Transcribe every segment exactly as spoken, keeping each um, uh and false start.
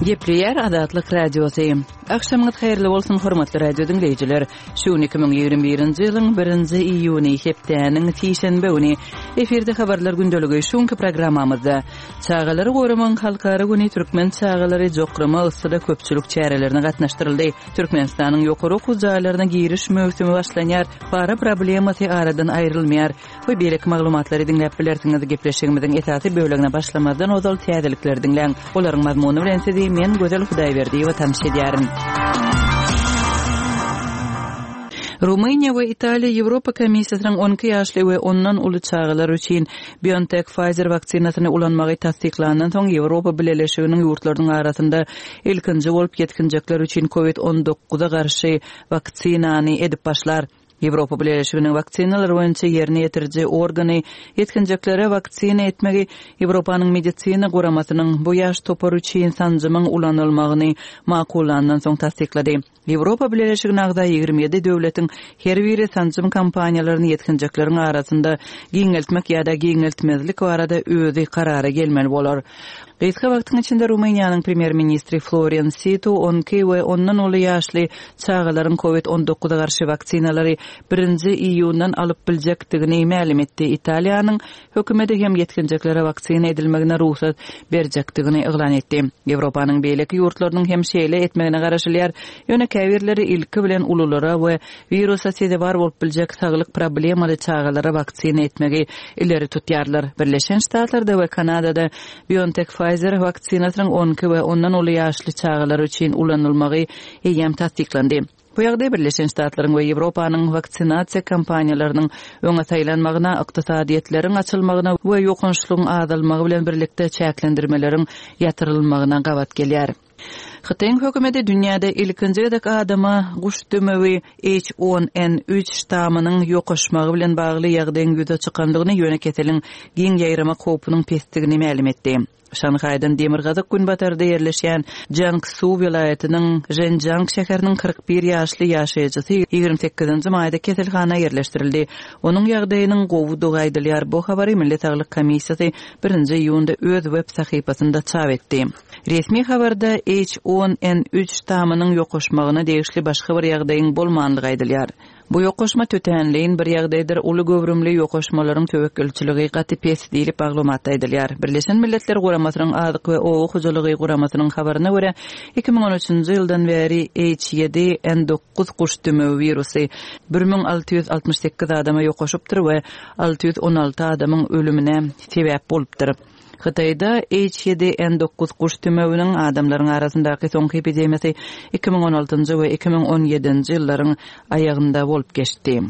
Gepleýär Azatlyk Radiosy. Agşamyňyz haýyrly bolsun, hormatly radio diňleýjiler. Şu gün iki müň ýigrimi birinji ýylyň birinji iýuny, hepdäniň sişenbe güni. Efirde habarlar gündeligi. Şu günki programmamyzda Çagalary goramagyň halkara güni türkmen çagalary jokrama yssyda köpçülik çärelerine gatnaşdyryldy. Türkmenistanyň ýokary okuw jaýlaryna giriş möwsümi başlanýar, para problemasy aradan aýrylmaýar we beýleki maglumatlary diňläp bilersiňiz. Gepleşigimiziň esasy bölegine başlamazdan ozal täzelikleri diňläň. Olaryň mazmuny bilen sizi men Gözel Hudaýberdiýewa tanyş edýärin. Rumyniýa we Italiýa Ýewropa Komissiýasynyň on iki ýaşly we ondan uly çagalar üçin BioNTech-Pfizer waksinasyny ulanmagy tassyklandan soň Ýewropa Bileleşiginiň ýurtlarynyň arasynda ilkinji bolup ýetginjekler üçin covid on dokuza garşy waksinany edip başlar. Ýewropa Bileleşiginiň waksinalar boýunça ýerine ýetiriji organy ýetginjeklere waksina etmegi Ýewropanyň medisina guramasynyň bu ýaş topary üçin sanjymyň ulanylmagyny makullandan soň tassyklady. Ýewropa Bileleşigine agza ýigrimi ýedi döwletiň her biri sanjym kampaniýalaryny ýetginjekleriň arasynda giňeltmek ýa-da giňeltmezlik barada özi karara gelmeli bolar. Gysga wagtyň içinde Rumyniýanyň premýer-ministri Florian Situ on iki we ondan uly ýaşly çagalaryň covid on dokuza garşy waksinalary birinji iýundan alyp biljekdigini mälim etdi. Italiýanyň hökümeti hem ýetginjeklere waksina edilmegine rugsat berjekdigini yglan etdi. Ýewropanyň beýleki ýurtlarynyň hem şeýle etmegine garaşylýar. Ýöne käbirleri ilki bilen ululara we wirusa sezewar bolup biljek saglyk problemaly çagalara waksina etmegi ileri tutýarlar. Birleşen Ştatlarda we Kanadada BioNTech-Pfizer waksinasynyň on iki we ondan uly ýaşly çagalar üçin ulanylmagy eýýäm tassyklandy. Bu ýagdaý Birleşen Ştatlaryň we Ýewropanyň waksinasiýa kampaniýalarynyň öňe saýlanmagyna, ykdysadyýetleriň açylmagyna we ýokançlygyň azalmagy bilen birlikde çäklendirmeleriň ýatyrylmagyna gabat gelýär. Hytaýyň hökümeti dünýäde ilkinji gezek adama guş dömewi H on N üç ştamynyň ýokaşmagy bilen bagly ýagdaýyň ýüze çykandygyny, ýöne keseliň giň ýaýramak howpunyň pesdigini mälim etdi. Şanhaýdan demirgazyk günbatarda ýerleşýän Jiangsu welaýatynyň Zhenjiang şäheriniň kyrk bir ýaşly ýaşaýjysy ýigrimi sekizinji maýda keselhana ýerleşdirildi. Onuň ýagdaýynyň gowudygy aýdylýar. Bu habary Milli Saglyk Komissiýasy birinji iýunda öz web sahypasynda çap etdi. Resmi habarda H on N üç ştamynyň ýokaşmagyna degişli başga bir ýagdaýyň bolmanlygy aýdylýar. Bu ýokaşma tötänleýin bir ýagdaýdyr, uly göwrümli ýokaşmalaryň töwekgelçiligi gaty pes diýlip maglumatda aýdylýar. Birleşen Milletler Guramasynyň Azyk we Oba hojalygy guramasynyň habaryna görä, iki müň on üçünji ýyldan bäri H ýedi N dokuz guş dömewi wirusy bir müň alty ýüz altmyş sekiz adama ýokaşypdyr we alty ýüz on alty adamyň ölümine sebäp bolupdyr. Hytaýda H ýedi N dokuz guş dümewiniň adamlaryň arasyndaky soňky epidemiýasy iki müň on altynjy we iki müň on ýedinji ýyllaryň aýagynda bolup geçdi.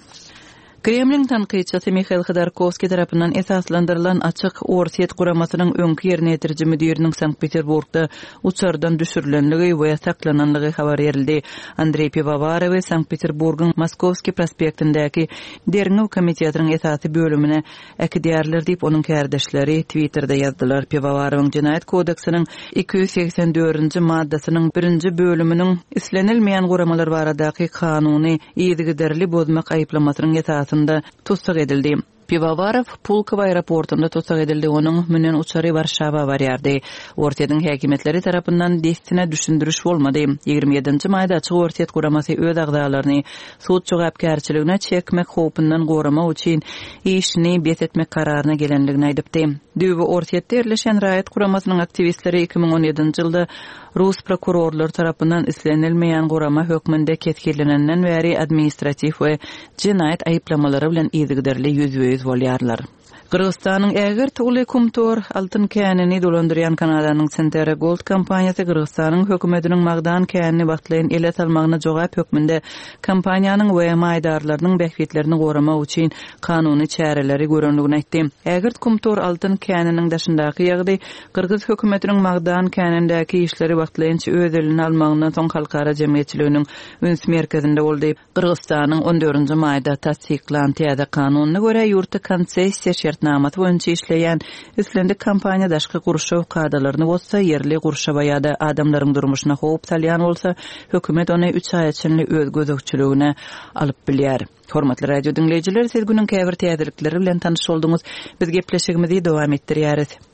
Kremliň tankytçysy Mihail Hodorkovskiý tarapyndan esaslandyrylan Açyk Orsýet guramasynyň öňki ýerine ýetiriji müdiriniň Sankt-Peterburgda uçardan düşürilenligi we saklananlygy habar berildi. Andrei Pivovarowy Sankt-Peterburgyň Moskovskiý prospektindäki Derňew komitetiniň esasy bölümine äkidýärler diýip, onuň kärdeşleri Twitterde ýazdylar. Pivovarowyň Jenaýat kodeksiniň iki ýüz segsen dördünji maddasynyň birinji bölüminiň islenilmeýän guramalar baradaky kanuny yzygiderli bozmak aýyplamasynyň esasynda tussag edildi. Pivovarov Pulkovo aeroportunda tussag edildi. Onuň münen uçary Warşawa barýardy. Orsýetiň häkimiýetleri tarapyndan dessine düşündiriş bolmady. Ýigrimi ýedinji maýda Açyk Orsýet guramasy öz agzalaryny sud jogapkärçiligine çekmek howpundan goramak üçin işini bes etmek kararyna gelenligini aýdypdy. Düýbi Orsýetde ýerleşen raýat guramasynyň aktiwistleri iki müň on ýedinji ýylda Rus prokurorlar tarapyndan islenilmeýän gurama hökmünde kesgirlenenden bäri administratiw we jenaýat aýyplamalary bilen yzygiderli ýüzbe-ýüz bolýarlar. Gyrgyzystanyň ägirt uly Kumtor altyn känini dolandyrýan Kanadanyň Centerra Gold kompaniýasy Gyrgyzystanyň hökümetiniň magdan känini wagtlaýyn ele salmagyna jogap hökmünde kompaniýanyň we maýdarlarynyň bähbitlerini goramak üçin kanuny çäreleri görenligini aýtdy. Ägirt Kumtor altyn käniniň daşyndaky ýagdaý Gyrgyz hökümetiniň magdan känindäki işleri wagtlaýynça öz eline almagyndan soň halkara jemgyýetçiliginiň üns merkezinde boldy. Gyrgyzystanyň on dördünji maýda tassyklan täze kanunyna görä ýurtda konsessiýa şertnamasy boýunça işleýän islendik kompaniýa daşky gurşaw kadalaryny bozsa, ýerli gurşawa ýa-da adamlaryň durmuşyna howp salýan bolsa, hökümet ony üç aýa çenli öz gözegçiligine alyp bilýär. Hormatly radio diňleýjiler, siz günüň käbir täzelikleri bilen tanyş bolduňyz. Biz gepleşigimizi dowam etdirýäris.